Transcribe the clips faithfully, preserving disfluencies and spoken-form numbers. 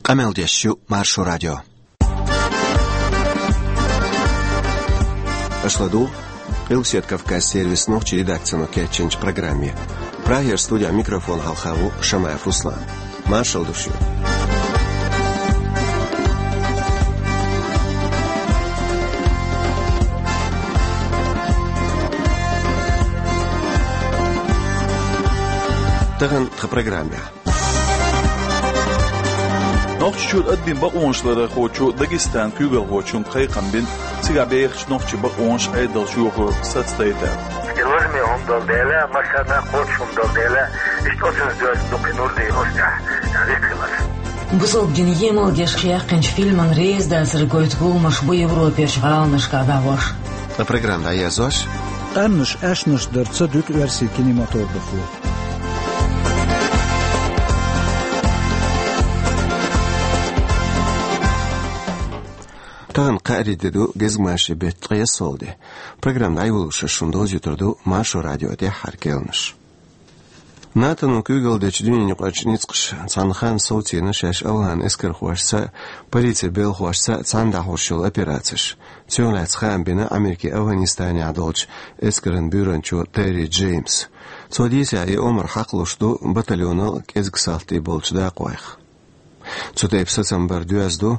Къамел деш ю Маршо радио. Аша ладугӀу Къилбаседа Кавказ сервисан нохчийн редакцино кечйинчу программе. Прагера студехь микрофон хьалха ву Шамаев Руслан. Маршалла ду шуьга. Тахана тхан программехь. Нохчийчуьра аддина бакъонашларъярхочо Дагестанан куьйгалхочуьнга кхайкхам бина, цигахь бехачу нохчийн бакъонаш, Ӏедалш йохор сацадайта. Лазаме хӀума долу дела, массарна а кхочуш хӀума долу дела, иштта оцунца доьзна ду кхин нур дийна оцу тӀехь, векхалар. Бусалба дин емал деш кхайкхинчу фильман реза дацар гойту гуламаш бу Европерчу гӀаланашкахь дӀахьош. Ткъа программа дӀаерзош: къаьмнаш аьшнаш дар ца дуьту оьрсийн кинематографо. Тахана кхаарин де ду, гезгмашин беттан ткъе ялхалгӀа де. Программа дӀайолош шуна довзуьйтур ду Маршо радион тӀаьххьара кхаьънаш. НАТО-но куьйгалла дечу дуьненаюкъарчу ницкъаша цхьана ханна совцийна шаьш ОвхӀан эскархошца а, полицин белхашца а цхьаьна дӀахьош йолу операцеш. Цунах лаьцна хаам бина Америкин ОвхӀанистанехь долчу эскаран буьйранчо Терри Джеймса. Цо дийцарехь, и омра хьакхалуш ду батальонал а, кӀезиг салти болчу дакъойх. Цу тайпа сацам бар доьзна ду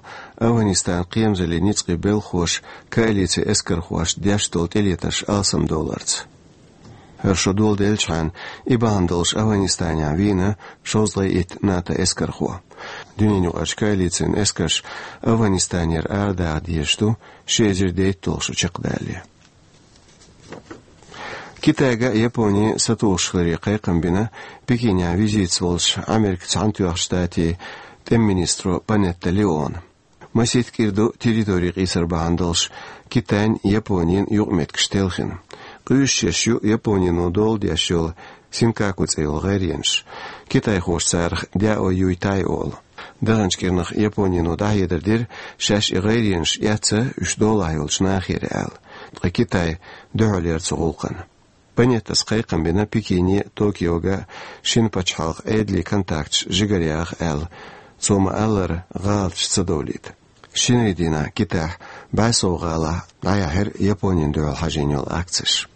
ОвхӀанистанан кхерамзаллин ницкъийн белхахоша коалицин эскархошна деш долу тӀелетарш алсамдовларца. ХӀара шо доладелчхьана, и бахьана долуш ОвхӀанистанехь вийна шовзткъе итт НАТО эскархо. Дуьненаюкъарчу коалицин эскарш ОвхӀанистанера арадаха дезаш ду ши эзар дейтталгӀа шо чекхдалале. Китайга а, Японина а сатухуш хиларе кхайкхам бина Пекинехь визитаца волчу Америкин Цхьаьнатоьхначу Штатийн тӀеман министро Панетта Леона. Масийтта кӀира ду территори къийсар бахьана долуш Китайн а, Японин а юкъаметтигаш телхина. Къуьйсуш ю Японино доладеш йолу Синкаку цӀе йолу гӀайренаш. Китайхоша царах Дяо Юй Тай олу. Даханчу кӀирнах Японино дӀахьедар дира, шаьш и гӀайренаш эцна уьш долахь йолчу нахера аьлла. Ткъа Китай дуьхьал яра цу гӀуллакхна. Панеттас кхайкхам бина Пекине а, Токиога а шина пачхьалкхан Ӏедалийн контакташ жигаръяха аьлла, цо ма-аллара, гӀалаташ ца довлийта. Шинарин дийнахь Китайхь бӀе сов гӀалахь дӀаяьхьира Японина дуьхьал хьажийна йолу акцеш.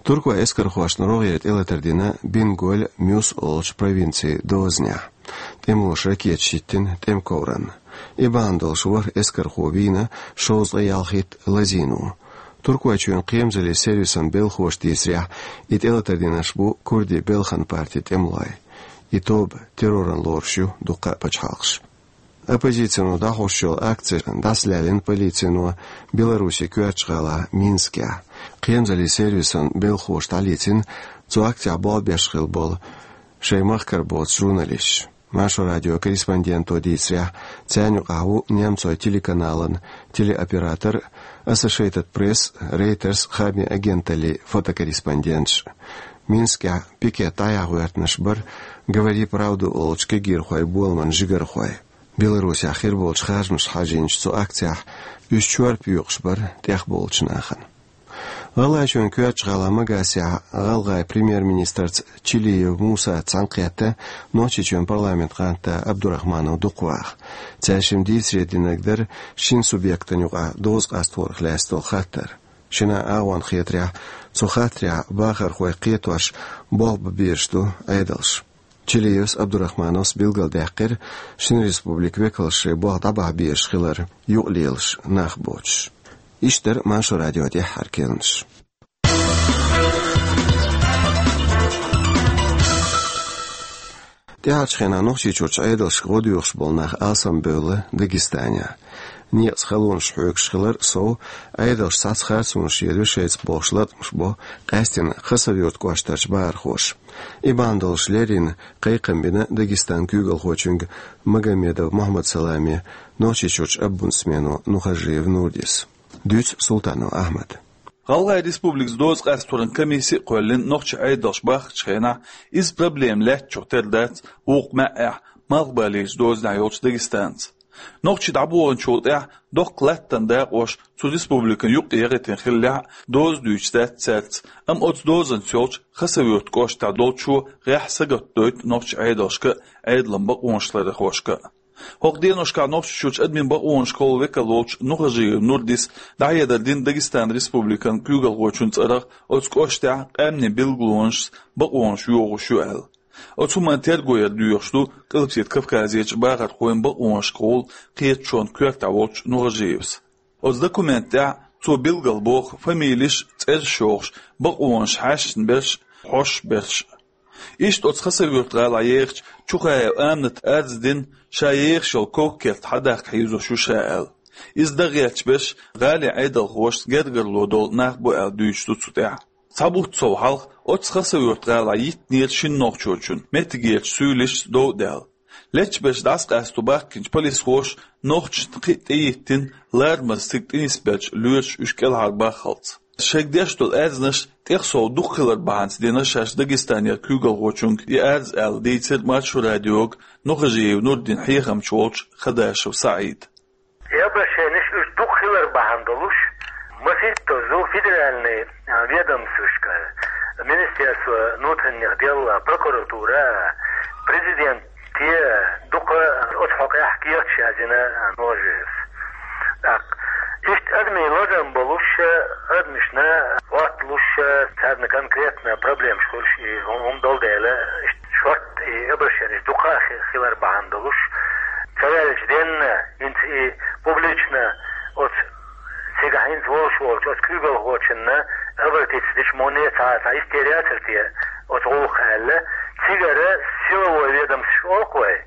Туркойн эскархошна рогӀера тӀелатар дина Бинголь, Мюс олучу провинцийн дозанехь. ТӀемалоша ракеташ хӀиттина тӀеман ковранна. И бахьана долуш ворхӀ эскархо вийна шовзткъе ялхитта лазийна ву. Туркойчоьнан кхерамзаллин сервисан белхахоша дийцарехь, и тӀелатар динарш бу курдийн Белхан партин тӀемалой. И тоба терроран лоруш ю дуккха а пачхьалкхаш. Оппозицино дӀахьош йолу акцеш дӀасалаьллина полицино Беларусин коьртачу гӀала Минскехь. Кхерамзаллин сервисан белхахоша дӀалецна цу акцехь болх беш хилла болу шайн махкара боцу журналисташ. Маршо радион корреспонденто дийцарехь, царна юкъахь ву немцойн телеканалан телеоператор а, Associated Press а, Reuters а хаамийн агенталлин фотокорреспонденташ а. Минскехь пикет дӀаяха гӀоьртинарш бара «Говори правду» олучу кегийрхойн боламан жигархой. Беларусехь хир болчу харжамашка хьажийначу цу акцехь уьш чорпа юькъуш бара тӀехболучу нахана. ГӀалгӀайчоьнан коьртачу гӀала Магасехь гӀалгӀайн премьер-министрца Чилиев Мусаца цхьаьнакхетта Нохчийчоьнан парламентан кандидат Абдурахманов Дукхваха. Цаьршимма дийцаре динарг дара шина субъектана юкъахь доза къастарх лаьцна долу хаттар. Шина агӀонна хетарехь, цу хаттарехь бахархойх кхетош болх бан безаш ду Ӏедалш. Чилиевс, Абдурахмановс билгалдаьккхира шина республикан векалш шайн болх дӀабахьа безаш хилар юкъалелаш нах боцуш. Иштта дара Маршо радион тӀаьххьара кхаьънаш. ТӀаьхьарчу хенахь Нохчийчуьрчу Ӏедалшка гӀо доьхуш болу нах алсамбевлла Дагестанехь. Некъаца халонаш хьоьгуш хилар сов, Ӏедалш цхьацца харцонаш елла ю шайца бохуш латкъамаш бо къаьсттина Хасавюрт кӀоштарчу бахархоша. И бахьана долуш леррина кхайкхам бина Дагестанан куьйгалхочуьнга Магомедов Мухьаммад-Саламе Нохчийчуьрчу омбудсмено Нухажиев Нурдис. Дуьйцу Султанов Ахьмада. ГӀалгӀайн Республикаца доза къасторан комисси а кхоьллина нохчийн Ӏедалш бахарчу хенахь, иза проблема лаьттачух тера дац вукху маьӀӀехь, малхбалийчу дозанехь йолчу Дагестанца. Нохчий дӀабоханчул тӀаьхьа доккха латтан дакъош цу республикана юкъа яхийтина хиллехь а, доза дуьйцуш дац цаьрца, амма оцу дозанца йолчу Хасавюрт кӀоштахь долчо гӀеххьа сагатдойту нохчийн Ӏедалшка а, Ӏедалан бакъонашларъярхошка а. ХӀокху деношкахь Нохчийчуьрчу адамийн бакъонашкахула векал волчу Нухажиев Нурдис дӀахьедар дина Дагестан Республикан куьйгалхочун цӀарах оцу кӀоштехь къаьмнийн билгалонашца бакъонаш йохуш ю аьлла. Оцу хӀуманна терго яр доьхуш ду Къилбаседа Кавказерчу бахархойн бакъонашкахула кхеташонан коьртехь волчу Нухажиевс. Оцу документан тӀехь цо билгалбоху фамилеш а, цӀераш а йохуш, бакъонаш хьаьшна берш а, хьош берш а. Иштта оцу Хасавюрт-гӀалахь ехачу Чухаева Амината арз дина, ша ехаш йолу ког-керт хьадаккха хьийзош ю ша аьлла. Иза дан гӀерташ берш гӀалин Ӏедалхошца гергарло долу нах бу аьлла дуьйцуш ду цу тӀехь. Цхьа бутт сов хьалха оццу Хасавюрт-гӀалахь йиттинера шина нохчочунна, меттигерчу суьйлишца дов а даьлла. Лечбеш дӀасакъасто баьхкинчу полисхоша нохчашна кхин а тӀеиттина, ларамаза цига тӀенисбеллачу лоьраша уьш кӀелхьарбаххалц. Шайга деш долу аьрзнаш тӀех сов дукха хилар бахьанца дина шаьш Дагестанера куьйгалхочуьнга и арз аьлла дийцира Маршо радиога Нухажиев Нурдин хьехамча волчу Хадашев СаӀида. И обращенеш уьш дукха хилар бахьана долуш, масийттазза федеральный, а, ведомствашка, Министерство внутренних дел, прокуратура, президенте дукха оцу хьокъехь кехаташ язйина, а, Нухажиевс. ТӀаккха иштта адамийн лазам болуш, адамашна гӀотталуш, царна конкретно проблемаш хуьлуш и хӀу-, хӀума долу дела, иштта шортта и обращенеш дукха хи-, хилар бахьана долуш, ца ваьлча денна, хӀинца и публично оцу цигахь хӀинца волуш волчу оцу куьйгалхочунна обратиться дича муне цхьа, цхьа истерия яцара те оцу гӀуллакха аьлла, цигара силовой ведомстваш олу-кх вай.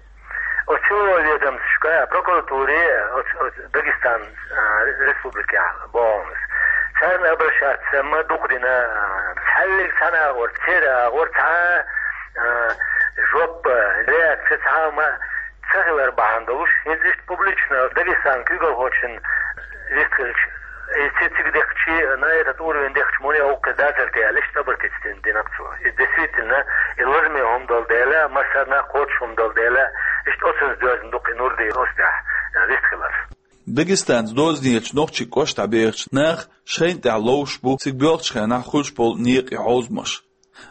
Оцу силовой ведомствашка, прокуратуре, оцу, оцу Дагестан, а, республикехь боху ас. Царна обращаться ма дукха дина, а, цхьаьллиг цхьана агӀор, церан агӀор цхьа, а, жоп, реакция цхьа а ма ца хилар бахьана долуш, хӀинца иштта публично Дагестан куьйгалхочун вист хилча, и цига дехчи, на этот уровень дехчи муне гӀуллакх дацара те аьлла, иштта обратиться дина, дина-кх цо. И действительно, и лазаме хӀума долу дела, массарна а кхочуш хӀума долу дела, иштта оцунца доьзна ду-кх и Нурди оцу тӀехь, э, вист хилар. Дагестанца дозанечу нохчийн кӀоштахь бехачу наха шайна тӀехь ловш бу цига боьлхучу хенахь хуьлуш болу некъа и хьовзамаш.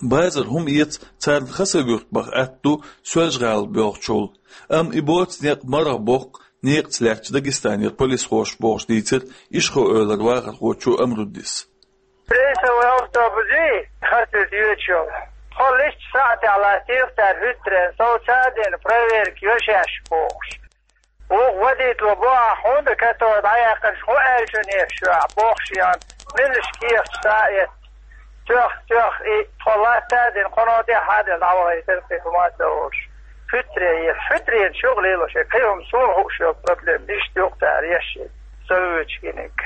Базар хӀума эца царна Хасавюрт баха атта ду Соьлжа-ГӀала боьлхучул, амма и боцу некъ марха боккху некъаца лаьттачу Дагестанера полисхоша бохуш дийцира Ишхо-Эвлара вахархочо Амруддис. Рейсовый автобус и харцвица йоьдуш йолу. Тхо листчу сахьтехь латтийра цара хӀуьттаренна, сов ца а дина, проверка йо шаьш бохуш. Вукху водитело боху, ахь хӀунда катора дӀаяьккхинчу хӀун аьллачу нехаш ю ахь бохуш ян, милаш кехаташ схьа а эцна. Тоьхна, тоьхна и тхо латта а дина, кхуьнан тӀехь а дина, дӀавахийтира кхин хӀума а ца олуш. Хьуьттаре еза, хьуьттаренаш юкъа лелош, и кхин хӀума суна хууш йолу проблема, иштта юкъа цара еш, со вуьйцу гиниг.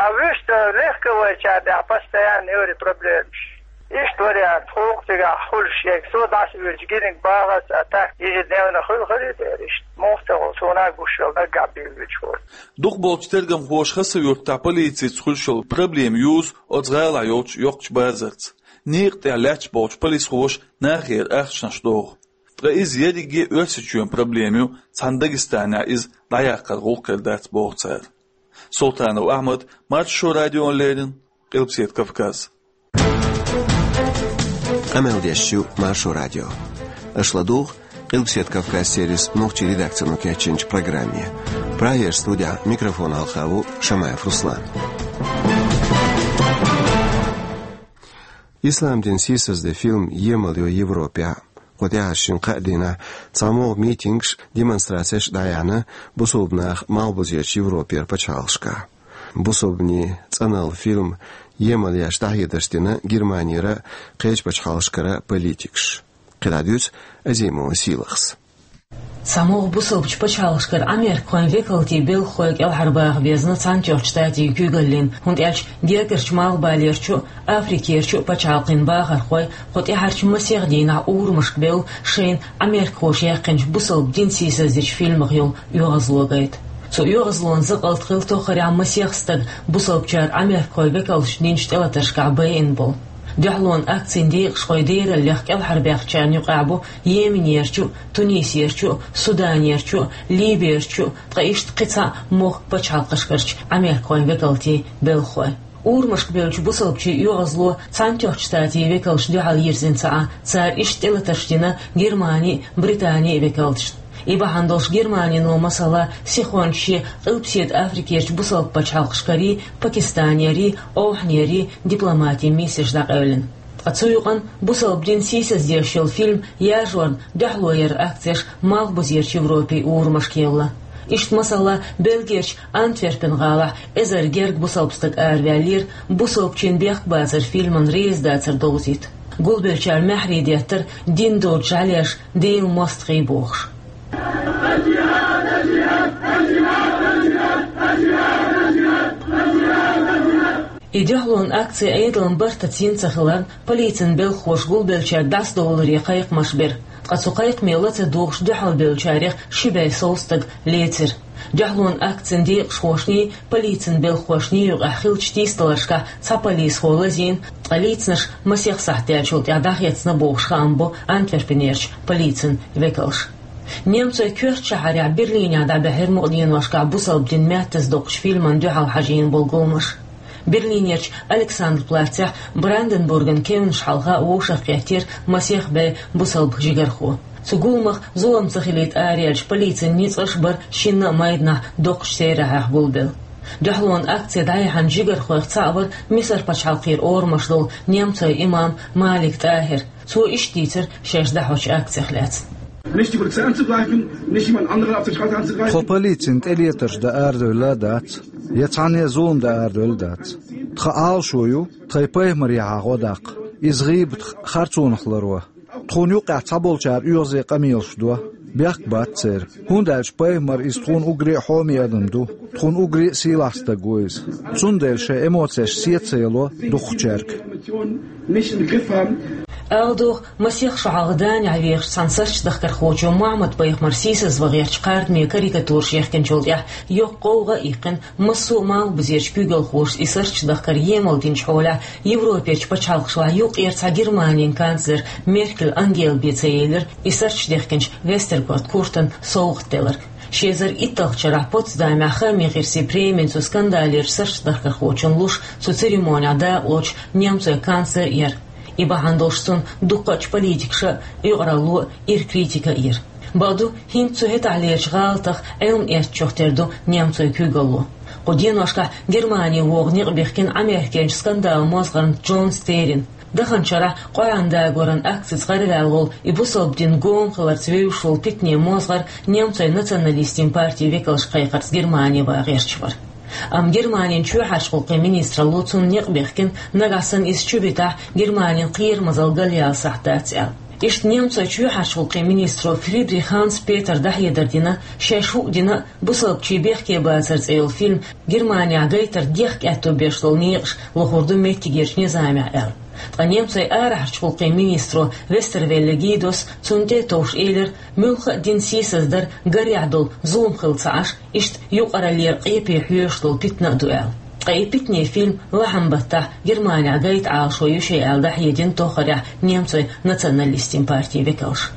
А вуьшта легковойчарна тӀехь постоянно йора проблемаш. Иштта вариант, хӀокху цигахь хуьлуш ерг, со дӀасавуьйцу гиниг бахарца, а так ежедневно хуьлу хилийта дера иштта. Муха ца хуьлу, суна а гуш йолу наггахь бийр вуьйцуш волу. Дукхахболчу тергамхоша Хасавюртахь полицеца хуьлуш йолу проблема юзу оцу гӀалахь йолчу йоккхачу базарца. Некъа тӀехь лаьтташ болчу полисхоша нахера ахчанаш доху. Ткъа иза ерриге а Оьрсийчоьнан проблема ю, цхьана Дагестанехь иза дӀаяккхар гӀуллакх хир дац боху цара. Султанов Ахьмад, Маршо радиона леррина, Къилбаседа Кавказ. Къамел деш ю Маршо радио. Аша ладугӀу Къилбаседа Кавказ сервисан нохчийн редакцино кечйинчу программе. Прагера студехь микрофон хьалха ву Шамаев Руслан. Ислам дин сийсазде фильм емал йо Европехь. Кху тӀаьхьарчу шина-кхаа дийнахь цхьамогӀа митингаш, демонстрацеш дӀаяьхьна бусалба наха малхбузерчу Европера пачхьалкхашкахь. Бусалбанийн цӀаналла фильм емал еш дӀахьедарш дина Германера а, кхечу пачхьалкхашкара а политикаш. КхидӀа дуьйцу Азимова Сийлахьас. ЦхьамогӀа бусалбачу пачхьалкхашкара Ӏамеркахойн векалтийн белхахой кӀелхьарбаха безна Цхьаьнатоьхначу Штатийн куьйгаллин, хӀунда аьлча гергарчу малхбалерчу а, Африкерчу а пачхьалкхийн бахархой кху тӀаьхьарчу масех дийнахь урамашка бевлла шайна Ӏамеркахоша яьккхинчу бусалба дин сийсаздечу фильмах йолу оьгӀазло гайта. Цу оьгӀазлонан закъалт хилла тоххарехь масех стаг бусалбачара Ӏамеркахойн векалша динчу тӀелатаршкахь байина болу. Дуьхьалонан акцин декъашхой дераллех кӀелхьарбаьхначарна юкъахь бу Йеменерчу а, Тунисерчу а, Суданерчу а, Либерчу а, ткъа иштта кхин цхьа мохк пачхьалкхашкарчу Ӏамеркахойн векалтийн белхахой. Урамашка бевллачу бусалбачийн оьгӀазло Цхьаьнатоьхначу Штатийн векалшна дуьхьал йирзина ца Ӏа, цара иштта тӀелатарш дина Германин а, Британин а векалташна. И бахьана долуш Германино, масала, сихончашен Къилбаседа Африкерчу бусалба пачхьалкхашкарий, Пакистанерий, Ӏовхьанерий дипломатийн миссеш дӀакъевлина. Ткъа цу юкъанна бусалба дин сийсаздеш йолу фильм яржорна дуьхьало яран акцеш Малхбузерчу Европин урамашка евлла. Иштта, масала, Бельгерчу Антверпен-гӀалахь эзар гергга бусалба стаг араваьллера, бусалбачийн бехк бацар фильман резадацар довзийта. Гулбеллачара маьхьарий деттара дин доцу жӀаьлеш Делан мостагӀий бохуш. И дуьхьалонан акци Ӏедалан бартаца йина ца хиларна, полицин белхахоша гулбеллачаьрга дӀасадовларе кхайкхамаш бира. Ткъа цу кхайкхаме ла ца дугӀуш дуьхьалбевллачарех ши бӀе сов стаг лецира. Дуьхьалонан акцин декъашхошний, полицин белхахошний юкъахь хиллачу тийсадаларшкахь цхьа полисхо лазийна, ткъа лийцинарш масех сахьт даьллачул тӀаьхьа дӀахецна бохуш хаам бо Антверпенерчу полицин векалша. Немцойн коьртачу шахьарехь Берлинехь дӀабаьхьира мукъа деношкахь бусалба дин меттаза доккхучу фильман дуьхьал хьажийна болу гуламаш. Берлинерчу Александрплацехь Бранденбурган кевнаш хьалха а вовшахкхеттера масех бӀе бусалба жигархо. Цу гуламах зулам ца хилийта араяьллачу полицин ницкъаш а бара шинна а майданахь доккхачу терахьехь гулбелла. Дуьхьалонан акци дӀаяьхьначу жигархойх цхьаъ вара Мисар пачхьалкхера орамаш долу немцойн имам Малик ТӀахӀир. Цо иштта дийцира шаьш дӀахьочу акцех лаьцна. Nicht die Polizei anzugreifen, nicht jemand anderen auf der Straße anzugreifen. Тхо полицин тӀелетарш дан арадевлла а дац, я цхьанне а зулам дан арадевлла а дац. Тхан Ӏалашо ю тхайн пайхамарехьа гӀо даккха, иза гӀийбатах, харцонах ларво. Тхуна юккъехь цхьаболчара оьгӀазе къамелаш до, бехк бац церан, хӀунда аьлча пайхамар иза тхуна уггаре а хьоме адам ду, тхуна уггаре а сийлахь стаг ву иза. Цундела шайн эмоцеш сецаяло дукхачаьрга. Ала догӀу, масех шо хьалха Данехь вехачу цхьана сарчадахкархочо Мухьаммад-пайхамар сийсазван гӀертачу кхардаме карикатураш яхкинчул тӀаьхьа йоккха гӀовгӀа а иккхина, массо а Малхбузерчу куьйгалхоша и сарчадахкар емал динчу хьолехь, Европерчу пачхьалкхашлахь юккъера цхьа Германин канцлер Меркель Ангела бен ца елира и сарчадехкинчу Вестергоф Куртана совгӀат деларг. Ши эзар итталгӀачу шарахь Потсдамехь хаамийн гӀирсийн премин цу скандалерчу сарчадахкархочунна луш цу церемонехь дакъалоцуш немцойн канцлер а яра. И бахьана долуш цунна дуккхачу политикаша а, юкъаралло а ира критика а йира. Бакъду, хӀинца цу хӀетахьлерчу гӀалатах Ӏилма эцначух тера ду немцойн куьйгалло. Кху деношкахь Германи вогӀу некъ бихкина Ӏамеркенчу скандалан мозгӀарна Джон Стерин. Даханчу шарахь КъорӀан дагоран акцица гӀараваьлла волу и бусалба дин гома хиларца вевзаш волу питанийн мозгӀар немцойн националистийн партин векалша кхайкхарца Германи ван гӀерташ вара. Амма Германин чоьхьарчу гӀуллакхийн министралло цунна некъ бихкина, нагахь санна иза чу битахь, Германин кхерамазалла галъяла сахьт дац аьлла. Иштта немцойн чоьхьарчу гӀуллакхийн министро Фридрих Ханс Петера дӀахьедар дина, шаьш хӀуъа дина а, бусалбачийн бехке бацар цӀе йолу фильм Германехь гайтар дехка аьтто беш долу некъаш лохур ду меттигерчу низамехь аьлла. Ткъа немцойн арахьарчу гӀуллакхийн министро Вестервелле Гидос цунна тӀе а товш элира, муьлхха а дин сийсаздар гарехь долу зулам хилла ца Ӏаш, иштта юкъараллера къепе хьоьжуш долу питана а ду аьлла. Ткъа и питанийн фильм лахьан баттахь Германехь гайта Ӏалашо ю шен аьлла дӀахьедина тоххарехь немцойн националистийн партин векалша.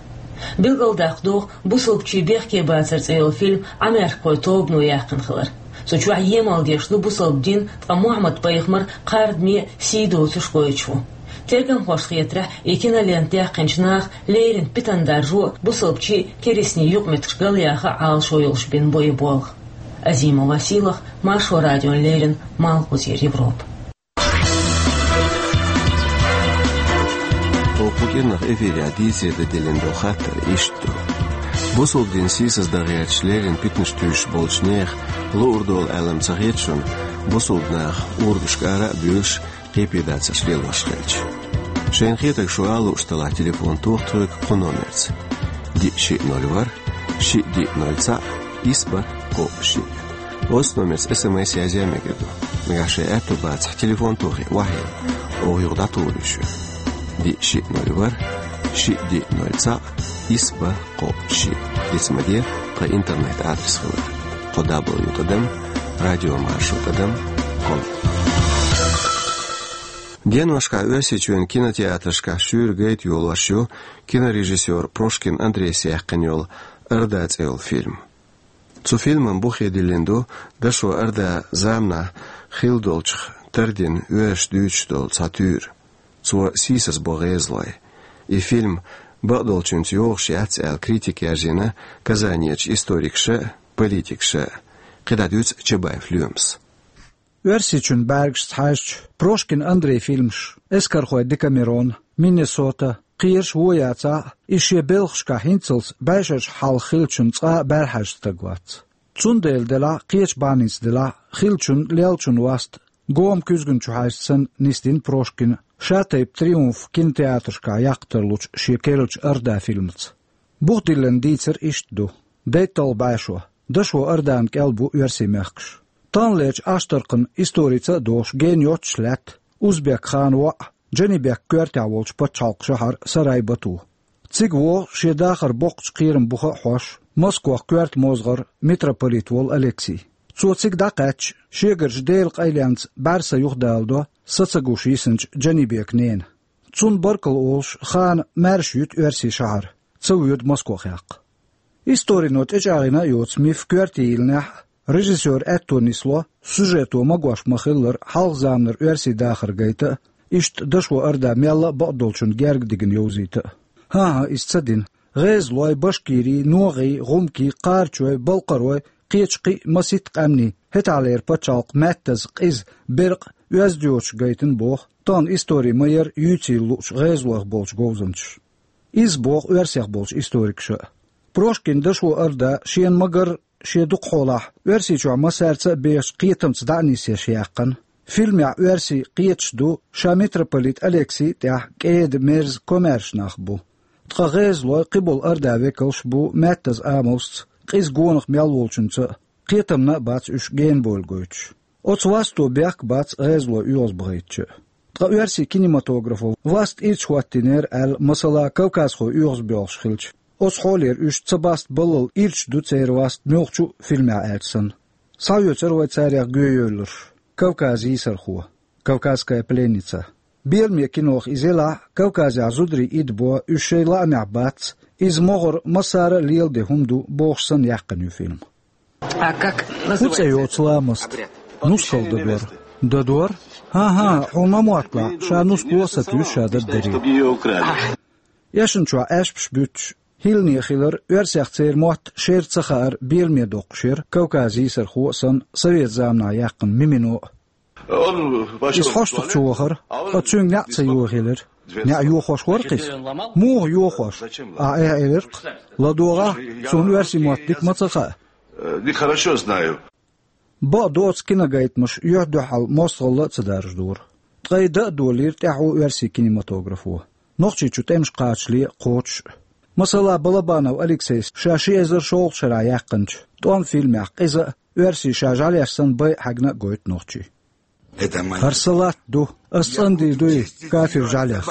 Билгалдаккха догӀу, бусалбачийн бехке бацар цӀе йолу фильм Ӏамеркахойн тобано яьккхина хилар. Цу чохь емал деш ду бусалба дин, ткъа Мухьаммад-пайхамар кхардаме а, сий доцуш гойтуш ву. Тергамхошна хетарехь, и кинолента даьккхинчу наха леррина питана даржо а, бусалбачийн а, керстанийн юкъаметтигаш галъяха а Ӏалашо йолуш бина бу и болх. Азимова Сийлаха, Маршо радиона леррина, Малхбузера Европа. Оха кху кӀирнах эфирехь дийцаре дан диллина долу хаттар иштта ду. Бусалба дин сийсаздан гӀерташ леррина питанаш туьйсуш болчу нехан луург долу аьлла ма ца хета шуна, бусалба наха урамашка ара а буьйлуш, къепедацарш лелош хилча. Шайна хетарг шу ала лууш делахь, телефон тоха тхоьга кху номерца: диъ шиъ ноль ворхӀ, шиъ диъ ноль цхьаъ, исс бархӀ кхоъ шиъ. Оцу номерца СМС язъян мегар ду. Нагахь шайн аьтто бацахь, телефон тохий охьайилла, оха юха дӀатухур ю шуьга. Диъ шиъ ноль ворхӀ, шиъ диъ ноль цхьаъ, исс бархӀ кхоъ шиъ. Диц ма де, тхан интернет-адрес хилар: кхо дабл ю тӀадам радио маршо тӀадам ком. Деношкахь Оьрсийчоьнан кинотеатрашкахь шуьйра гайта йолош ю кинорежиссёр Прошкин Андрейс яьккхина йолу «Орда» цӀе йолу фильм. Цу фильман бухе диллина ду дашо орда заманахь хилла долчух тардина оьрсаша дуьйцуш долу цхьа туьйра. Цо сийсазбо гӀезалой. И фильм бакъдолчуьнца йогӀуш яц аьлла критика яьржина Казанерчу историкаша а, политикаша а. КхидӀа дуьйцу Чабаев Лоьмас. Оьрсийчоьнан бӀаьргашца хьаьжча, Прошкин Андрейн фильмаш «Эскархой Декамерон», «Миннесота» кхераш вон яцахь а, иза шен белхашкахь хӀинццалц бӀешерчу хьалха хиллачун цкъа а бӀаьрахьаьжна стаг вац. Цундела делахь а, кхечу бахьаница делахь а, хиллачун, леллачун васт гома куьзгана чу хьаьжча санна нисдина Прошкина ша-тайпа «Триумф» кинотеатрашкахь яккха тарлучу шен керлачу «Орда» фильмаца. Бух диллина дийцар иштта ду: дайтталгӀа бӀешо, дашо Ордан кӀел бу оьрсийн мехкаш. Таханлерчу Ӏаштаркхан историца а догӀуш гена йоццуш лаьтта узбек ханан воӀ, Джанибек коьртехь волчу пачхьалкхан шахьар Сарай-Бату. Цига вогӀу шен дахаран боккхачу кхераман буха а хьош, Москох коьрта мозгӀар митрополит волу Алексий. Цо цига дӀакхаьчча, шегарчу Делан къайленца бӀаьрса юхадаладо са ца гуш йисинчу Джанибекан нена. Цунна баркалла олуш, хана маьрша юьту оьрсийн шахьар, ца воьду Москох яккха. Историно тӀечӀагӀйина а йоцу миф коьрте йиллинехь а, режиссёран аьтто нисло, сюжето магош ма-хиллара, хьалха заманара оьрсийн дахар гайта а, иштта дашо Орда мелла а бакъдолчунна герга дигна йовзийта а. ХӀан-хӀа, иза ца дина. ГӀезалой, башкирий, ногӀий, гӀумкий, кхарачой, балкхарой, кхечу кхин а масийтта къаьмнийн, хӀетахьлера пачхьалкх, маьттаза, къиза, беркъа, оьзда йоцуш гайтина боху тахана истори ма-ярра юьйцийла луучу гӀезалойх болчу говзанчаша. Иза боху оьрсех болчу историкаша а. Прошкин дашо Орда шена ма-гарра, шен дукха хьолахь Оьрсийчохь массаьрца а бехачу кхетамца дӀа а нисъеш яьккхина. Фильмехь оьрсий кхеташ ду, ша митрополит Алексий а тӀехь кӀеда, мерза, комаьрша нах бу. Ткъа гӀезалой, кхиболу Ордан векалш а бу маьттаза амалшца, къиза гонах мел волчуьнца а, кхетамна а бац уьш генабойла гойтуш. Оцу васто бехк бац гӀезалой оьгӀазбахийтича а. Ткъа оьрсийн кинематографо васт ирча хӀоттийнера аьлла, масала, кавказхой оьгӀазбоьлхуш хилча, оцу хьолера уьш ца баста баллал ирча ду церан васт муьлххачу а фильмехь аьлча санна. Схьаоьцура вай царех гоьйолалуш «Кавказан йийсархо», «Кавказская пленница». Беламе кинох иза елахь а, Кавказехь зударий идабо, уьш шайн лаамехь бац, иза могӀара массара а леладен хӀума ду бохуш санна яьккхина ю фильм. А как называется? ХӀун цӀе йоцу ламаст? Нускал дадор. Дадор? ХӀан-хӀа, хьуна ма мотталахь, ша нускало а сатуьйсу ша даддарий. Эшначохь аьшпаш буьттуш, хӀиллане хилар, оьрсех церан мотт шера ца хаар беламе доккхуш яра Кавказан йийсархо а санна, совет заманахь яьккхина «Мимино» а. Иза хьоштух чу вахара, ткъа цуьнга неӀ ца йохаелира. НеӀ йохош вара-кх иза? Муха йохош? Ахь эхь элира-кх: «ЛадогӀахь, суна оьрсийн мотт дика ма ца хаьа». Э, нехорошо знаю. Бакъдоцу, киногайтамаш юьхь-дуьхьал мостагӀалла а ца даржадора. Ткъа и дан а долийра тӀаьхьо оьрсийн кинематографо, Нохчийчу тӀемаш кхачале а, кхочуш а. Масала, Балабанов Алексейс ша ши эзар шолгӀачу шарахь яьккхинчу «ТӀом» фильмехь къиза а, оьрсийн ша жӀаьлеш санна байа хьаьгна а гойту нохчий. «ХӀара салат ду, ас цӀандийр ду и кафир жӀаьлех».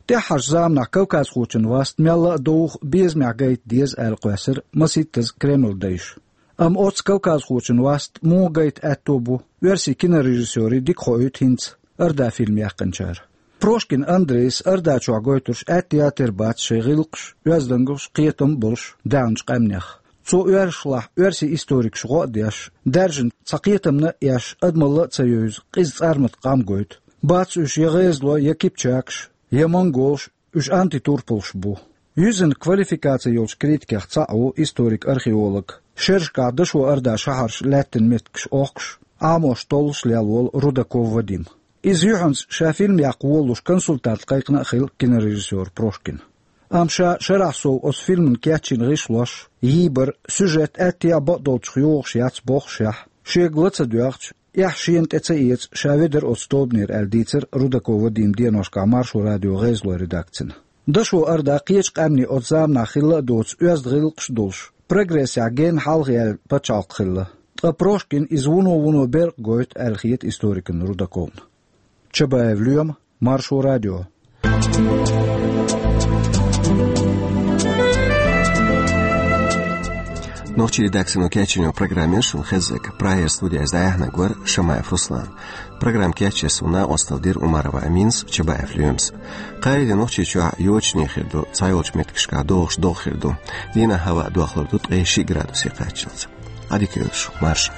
ТӀаьххьарчу заманахь кавказхочун васт мелла а довха, безамехь гайта деза аьлла кхоьссира масийттаза Кремлан дайша. Амма оцу кавказхочун васт муха гайта аьтто бу, оьрсийн кинорежиссёрийн дика хоуьйту хӀинца «Орда» фильм яьккхинчара. Прошкин Андрейс «Орда» чохь гойтурш аьтто яц, тера бац шайн гӀиллакхаш, оьздангаллаш, кхетам а болуш даьхначу къаьмнех. Цо оьрсашлахь оьрсийн историкаш гӀо а деш, даьржина цхьа кхетамна а эш, адамалла а ца евза, къиза цӀармата къам гойту. Бац уьш я гӀезалой, я кипчакаш, я монголаш, уьш антитурпалш бу. Юьззина квалификаци йолчу критикех цхьаъ ву историк-археолог, шерашкахь дашо Ордан шахьарш лаьттина меттигаш охкуш, Ӏамош, толлуш лелла волу Рудаков Вадим. Иза юьхьанца ша фильм яккха волалуш консультант кхайкхина а хилла кинорежиссёра Прошкина. Амма ша шарахь сов оцу фильмана кечйина гӀишлош, йийбар, сюжет аьттехьа бакъдолчух йогӀуш яц бохушехь, шега ла ца доьгӀча, эхь шена тӀе ца эца, ша ведара оцу тобанера аьлла дийцира Рудаков Вадима деношкахь Маршо радион гӀезалойн редакцина. Дашо Орда кхечу къаьмнийн оцу заманахь хилла а доцу оьзда гӀиллакхаш а долуш, прогрессехь генна хьалха яьлла пачхьалкх хилла. Ткъа Прошкина иза вуно-вуно беркъа гойту аьлла хета историкана Рудаковна. Чабаев Лоьма, Маршо радио. Нохчийн редакцино кечйина программа яра шуна хезнарг. Прагера студиехь дӀаяьхьнарг вара Шамаев Руслан. Программа кечъеш суна накъосталла дира Умарова Аминас, Чабаев Лоьмас. Кхаарин де Нохчийчохь йочане хир ду, цхьайолчу меттигашкахь догӀуш догӀа хир ду. Дийнахь хӀаваъ дохлур ду ткъе шиъ градусе кхаччалц. Ӏадика йойла шу, марша.